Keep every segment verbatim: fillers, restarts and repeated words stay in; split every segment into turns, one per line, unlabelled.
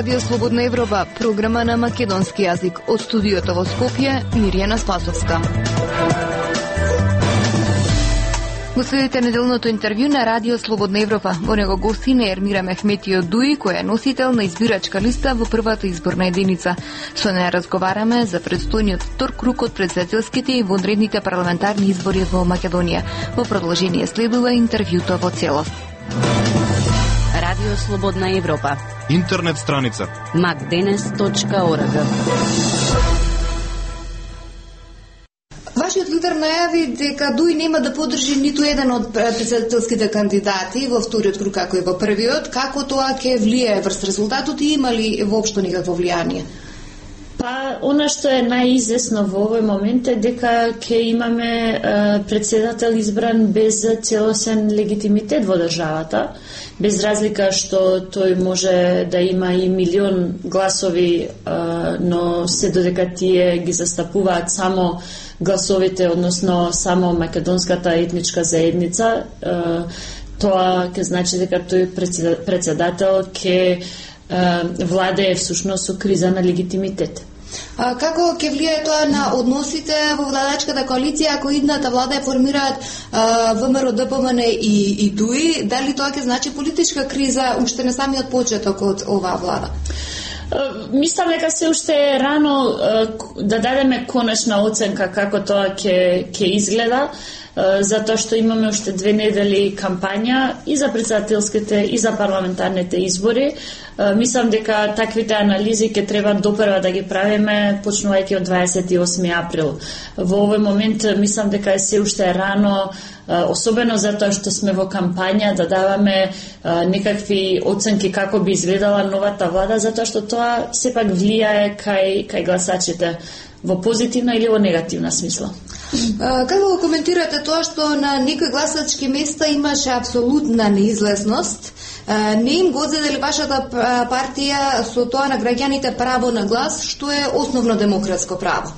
Радио Слободна Европа, програма на македонски јазик. Од студиото во Скопје, Мирјана Спасовска. Го следите неделното интервју на Радио Слободна Европа. Во него гости не Ермира Мехметио Дуи, која е носител на избирачка листа во првата изборна единица. Со неја разговараме за предстојниот втор круг од претседателските и вонредните парламентарни избори во Македонија. Во продолжение следува интервјуто во целост.
Радио Слободна Европа.
Интернет страница
макденес точка орг.
Вашиот лидер најави дека Дуи нема да поддржи ниту еден од претседателските кандидати во вториот круг како и во првиот. Како тоа ќе влијае врз резултатот и има ли воопшто никакво влијание?
Па, она што е најизвестно во овој момент е дека ќе имаме е, председател избран без целосен легитимитет во државата, без разлика што тој може да има и милион гласови, е, но се додека тие ги застапуваат само гласовите, односно само македонската етничка заедница, е, тоа ќе значи дека тој председател ќе владее всушност со криза на легитимитет.
А, како ќе влијае тоа на односите во владачката коалиција ако идната влада ја формираат ВМРО, ДПМН и, и Дуи? Дали тоа ќе значи политичка криза уште на самиот почеток од оваа влада?
Мислам дека се уште е рано да дадеме конечна оценка како тоа ќе ќе изгледа, затоа што имаме уште две недели кампања и за претседателските и за парламентарните избори. Мислам дека таквите анализи ќе треба допрва да ги правиме почнувајќи од дваесет и осми април. Во овој момент мислам дека е се уште рано, особено затоа што сме во кампања, да даваме некакви оценки како би изгледала новата влада, затоа што тоа сепак влијае кај кај гласачите во позитивна или во негативна смисла.
Како го коментирате тоа што на некои гласачки места имаше апсолутна неизлезност? Не им го одзеде ли вашата партија со тоа на граѓаните право на глас, што е основно демократско право?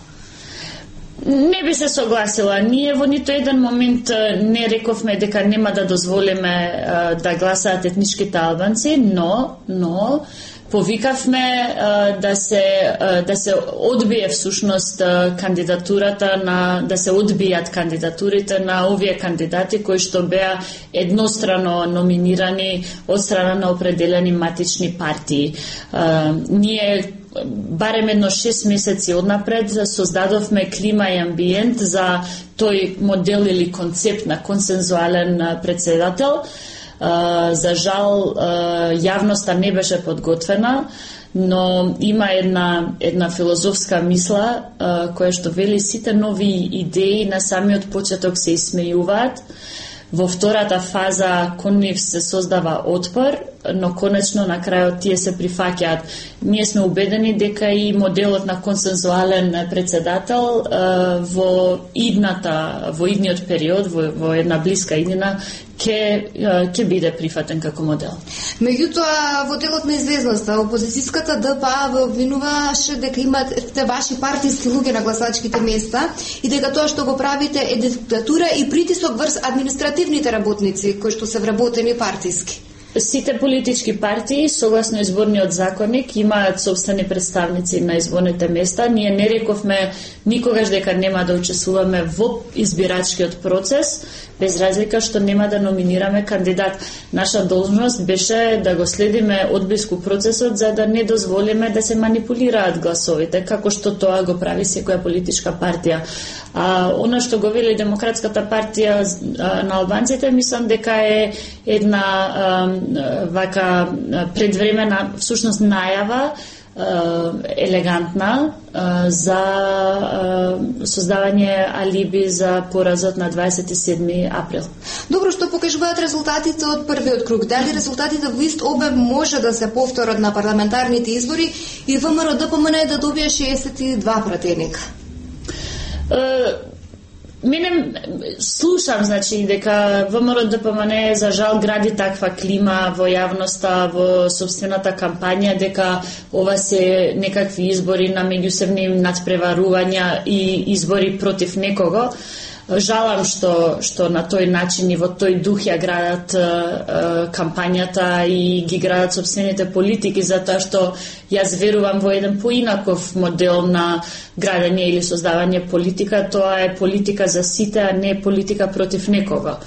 Не би се согласила. Ние во ниту еден момент не рековме дека нема да дозволиме да гласаат етничките албанци, но, но повикавме а, да се а, да се одбие всушност а, кандидатурата на да се одбијат кандидатурите на овие кандидати кои што беа еднострано номинирани од страна на определени матични партии. А, ние барем едно шест месеци однапред создадовме клима и амбиент за тој модел или концепт на консензуален председател. Uh, за жал, uh, јавноста не беше подготвена, но има една, една филозофска мисла uh, која што вели сите нови идеи на самиот почеток се исмејуваат. Во втората фаза кон нив се создава отпор, но конечно на крајот тие се прифаќаат. Ние сме убедени дека и моделот на консензуален председател uh, во идната, во идниот период, во, во една блиска иднина, ќе ќе биде прифатен како модел.
Меѓутоа, во делот на известноста, опозицијската ДПА ве обвинуваше дека имате ваши партиски луѓе на гласачките места и дека тоа што го правите е диктатура и притисок врз административните работници кои што се вработени партиски.
Сите политички партии, согласно изборниот законник, имаат собствени представници на изборните места. Ние не рековме никогаш дека нема да учествуваме во избирачкиот процес, без разлика што нема да номинираме кандидат. Наша должност беше да го следиме одблиску процесот за да не дозволиме да се манипулираат гласовите, како што тоа го прави секоја политичка партија. А она што го вели Демократската партија а, на албанците, мислам дека е една а, вака предвремена, всушност најава, елегантна за создавање алиби за поразот на дваесет и седми април.
Добро, што покажуваат резултатите од првиот круг? Дали резултатите во ист обем може да се повторат на парламентарните избори и ВМРО ДПМН да добие шеесет и два пратеника?
Мене слушам, значи, дека ВМРО ДПМН за жал гради таква клима во јавноста, во собствената кампања, дека ова се некакви избори на меѓусебни надпреварувања и избори против некого. жалам што што на тој начин и во тој дух ја градат е, е, кампањата и ги градат сопствените политики, затоа што јас верувам во еден поинаков модел на градење или создавање политика. Тоа е политика за сите, а не политика против некого.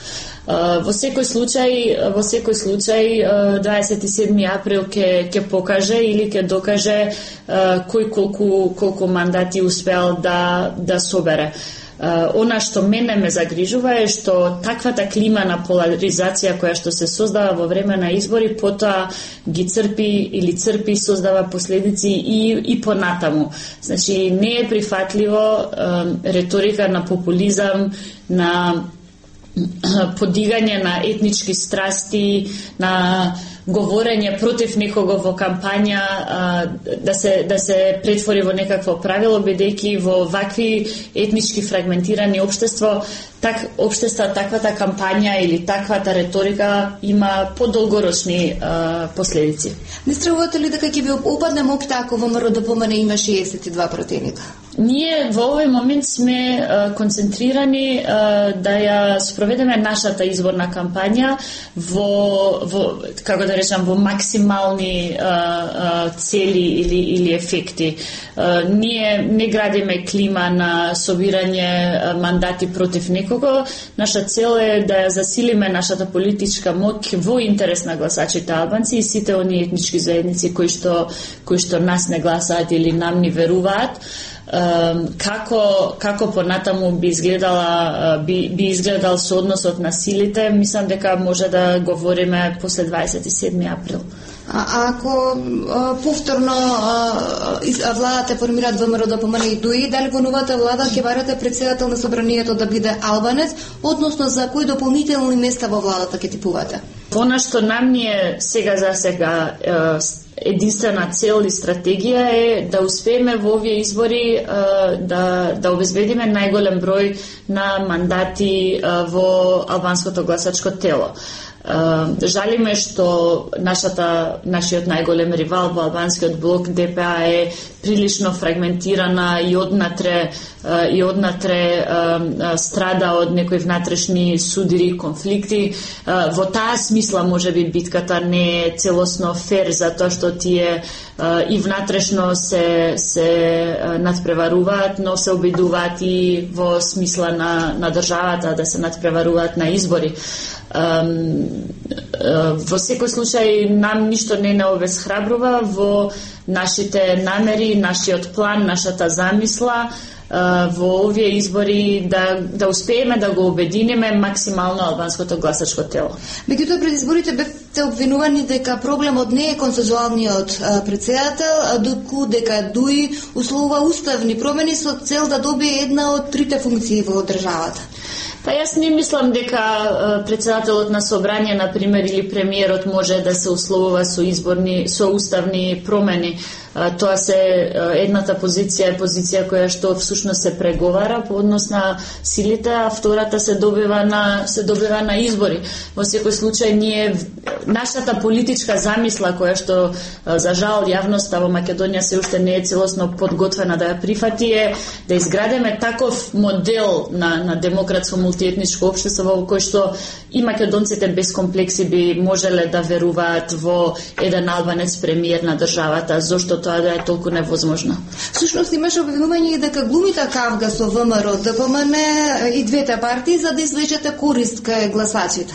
Во секој случај, во секој случај дваесет и седми април ќе ќе покаже или ќе докаже кој колку колку мандати успеал да да собере. Она што мене ме загрижува е што таквата клима на поларизација која што се создава во време на избори, потоа ги црпи или црпи и создава последици и и понатаму. Значи не е прифатливо реторика на популизам, на подигање на етнички страсти, на говорење против некого во кампања, да се да се претвори во некакво правило, бидејќи во вакви етнички фрагментирани општество, так општества, таквата кампања или таквата реторика има подолгорочни а, последици.
Не стравувате ли дека ќе ви опадне моќта ако ВМРО да помане има шеесет и два пратеника?
Ние во овој момент сме а, концентрирани а, да ја спроведеме нашата изборна кампања во, во како да речам, во максимални а, а, цели или, или ефекти. А, ние не градиме клима на собирање а, мандати против некого. Наша цел е да ја засилиме нашата политичка моќ во интерес на гласачите албанци и сите оние етнички заедници кои што, кои што нас не гласаат или нам ни веруваат. Како како понатаму би изгледала би би изгледал соодносот на силите, мислам дека може да говориме после дваесет и седми април.
А ако а, повторно а, владата формираат ВМРО да помане и ДУИ, дали во новата влада ќе барате председател на собранието да биде албанец, односно за кои дополнителни места во владата ќе типувате?
Она што нам ни е сега за сега единствена цел и стратегија е да успееме во овие избори да да обезбедиме најголем број на мандати во албанското гласачко тело. Жалиме што нашата нашиот најголем ривал во албанскиот блок Д П А е прилично фрагментирана и однатре и однатре страда од некои внатрешни судири, конфликти. Во таа смисла можеби битката не е целосно фер, затоа што тие и внатрешно се се надпреваруваат, но се обидуваат и во смисла на на државата да се надпреваруваат на избори. Во секој случај нам ништо не не обезхрабрува во нашите намери, нашиот план, нашата замисла во овие избори да да успееме да го обединиме максимално албанското гласачко тело.
Меѓутоа пред изборите бевте обвинувани дека проблемот не е консензуалниот председател, доку дека ДУИ условува уставни промени со цел да добие една од трите функции во државата.
Па јас не мислам дека председателот на собрание, на пример, или премиерот може да се условува со изборни, со уставни промени. Тоа се едната позиција е позиција која што всушност се преговара по однос на силите, а втората се добива на се добива на избори. Во секој случај ние нашата политичка замисла која што за жал јавноста во Македонија се уште не е целосно подготвена да ја прифати е да изградиме таков модел на на демократско мултиетничко општество во кој што и македонците без комплекси би можеле да веруваат во еден албанец премиер на државата, зошто тоа да е толку невозможно.
Всушност имаше обвинување дека глумите кавга со ВМРО, Д П М Н и двете партии за да извлечете корист кај гласачите.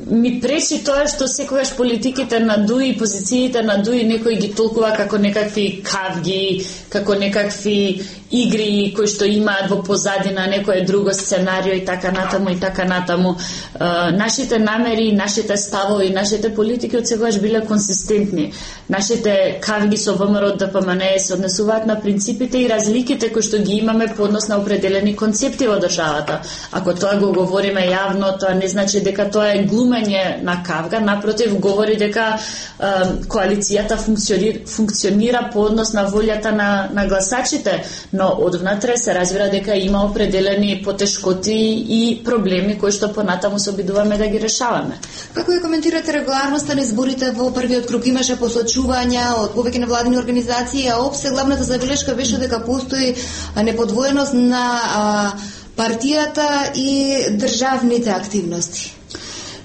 Ми пречи тоа што секогаш политиките на ДУИ и позициите на ДУИ некои ги толкува како некакви кавги, како некакви игри кои што имаат во позадина некое друго сценарио и така натаму и така натаму. Е, нашите намери, нашите ставови, нашите политики од секогаш биле консистентни. Нашите кавги со ВМРО Д П М Н се однесуваат на принципите и разликите кои што ги имаме по однос на определени концепти во државата. Ако тоа го говориме јавно, тоа не значи дека тоа е глумење на кавга, напротив говори дека е, коалицијата функционира, функционира по однос на волјата на, на гласачите, но одвнатре се разбира дека има определени потешкоти и проблеми кои што понатаму се обидуваме да ги решаваме.
Како ја коментирате регуларноста на изборите во првиот круг? Имаше посочувања од повеќе невладини организации, а опсе главната забелешка беше дека постои неподвоеност на а,
партијата и државните активности?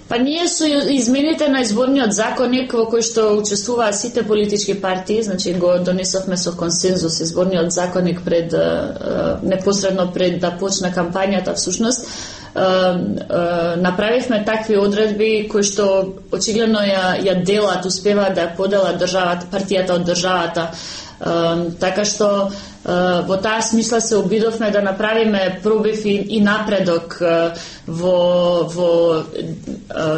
Па ние со измените на изборниот законник во кој што учествуваа сите политички партии, значи го донесовме со консензус изборниот законник пред непосредно пред да почне кампањата всушност, направивме такви одредби кои што очигледно ја, ја делат, успеваат да ја поделат државата, партијата од државата. Така што во таа смисла се обидовме да направиме пробив и, и напредок во, во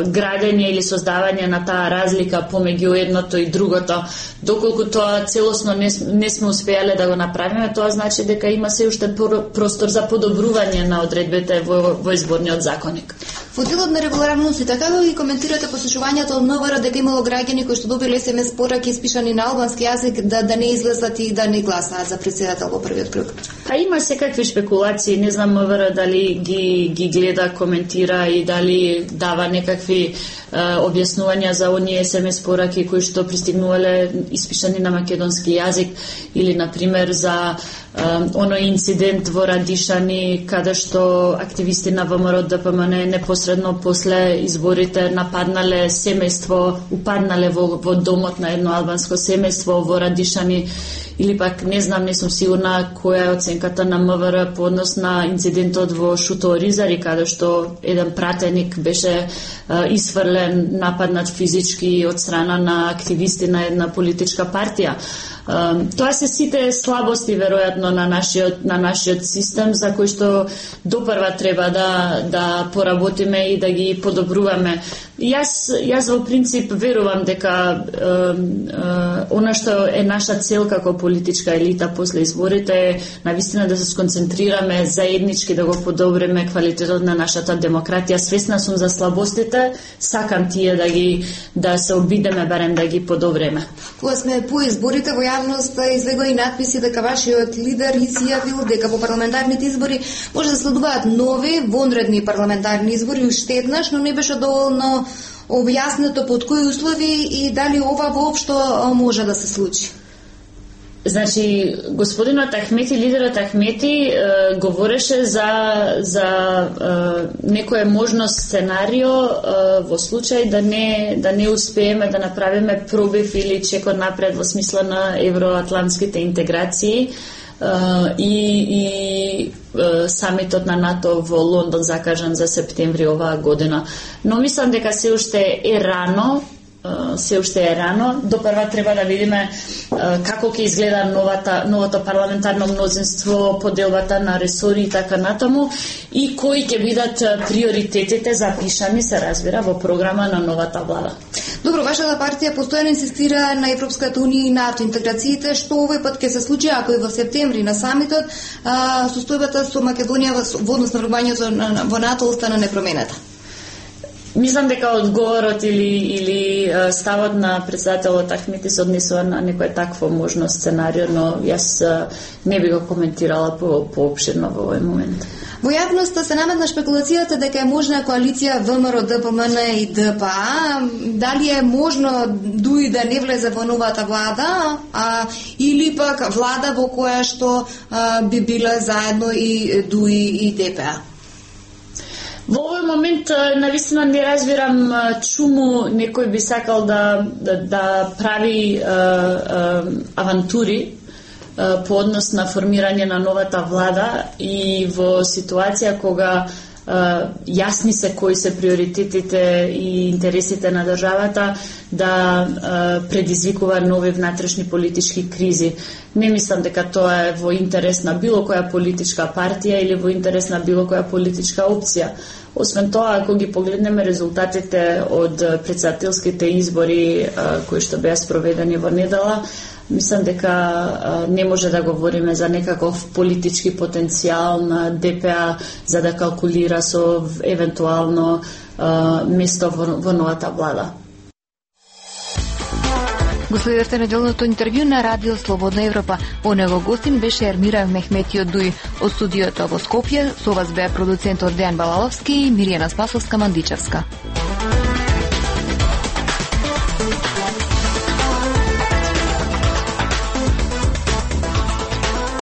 градење или создавање на таа разлика помеѓу едното и другото. Доколку тоа целосно не, не сме успеале да го направиме, тоа значи дека има се уште простор за подобрување на одредбите во, во изборниот законник.
Во делот на регуларноста, како ги коментирате послушувањето од НВР дека имало граѓани кои што добиле ес ем ес пораки испишани на албански јазик да да не излезат и да не гласаат за претседател во првиот круг?
Па има секакви шпекулации, не знам МВР дали ги ги гледа, коментира и дали дава некакви е, објаснувања за оние ес ем ес пораки кои што пристигнувале испишани на македонски јазик или на пример за оној инцидент во Радишани каде што активисти на ВМРО Д П М Н непосредно после изборите нападнале семејство, упаднале во, во домот на едно албанско семејство во Радишани, или пак не знам, не сум сигурна која е оценката на МВР по однос на инцидентот во Шуто Оризари каде што еден пратеник беше е, исфрлен, нападнат физички од страна на активисти на една политичка партија. Тоа се сите слабости веројатно на нашиот на нашиот систем за кои што допрва треба да да поработиме и да ги подобруваме. Јас јас во принцип верувам дека е, е, она што е наша цел како политичка елита после изборите е навистина да се сконцентрираме заеднички да го подобриме квалитетот на нашата демократија. Свесна сум за слабостите, сакам тие да ги да се обидеме барем да ги подобриме.
Кога сме по изборите во јавноста излегоа и надписи дека вашиот лидер изјавил дека во парламентарните избори може да следуваат нови вонредни парламентарни избори уште еднаш, но не беше доволно објаснето под кои услови и дали ова воопшто може да се случи.
Значи, господинот Ахмети, лидерот Ахмети, е, говореше за, за е, некое можно сценарио е, во случај да не, да не успееме да направиме пробив или чекор напред во смисла на евроатлантските интеграции Uh, и, и uh, самитот на НАТО во Лондон закажан за септември оваа година. Но мислам дека се уште е рано, uh, се уште е рано. Допрва треба да видиме uh, како ќе изгледа новата, новото парламентарно мнозинство, поделбата на ресори и така натаму и кои ќе бидат приоритетите запишани, се разбира, во програма на новата влада.
Добро, вашата партија постојано инсистира на Европската унија и НАТО интеграциите, што овој пат ќе се случи ако и во септември на самитот а, состојбата со Македонија во однос на врбањето во НАТО остана непроменета.
Мислам дека одговорот или, или ставот на председателот Ахмети се однесува на некој такво можно сценарио, но јас не би го коментирала по, поопширно во овој момент.
Во јавноста се наметна шпекулацијата дека е можна коалиција ВМРО Д П М Н и Д П А. Дали е можно ДУИ да не влезе во новата влада, а, или пак влада во која што а, би биле заедно и ДУИ и Д П А?
Во овој момент навистина не разбирам чуму некој би сакал да, да, да прави а, а, авантури по однос на формирање на новата влада и во ситуација кога uh, јасни се кои се приоритетите и интересите на државата да uh, предизвикува нови внатрешни политички кризи. Не мислам дека тоа е во интерес на било која политичка партија или во интерес на било која политичка опција. Освен тоа, ако ги погледнеме резултатите од претседателските избори uh, кои што беа спроведени во недела, мислам дека а, не може да говориме за некаков политички потенцијал на Д П А за да калкулира со евентуално а, место во, во новата влада.
Го следевте неделното интервју на Радио Слободна Европа. Во него гостин беше Ермира Мехметио Дуј. Од студиото во Скопје со вас беа продуцентот Дејан Балаловски и Миријана Спасовска-Мандичевска.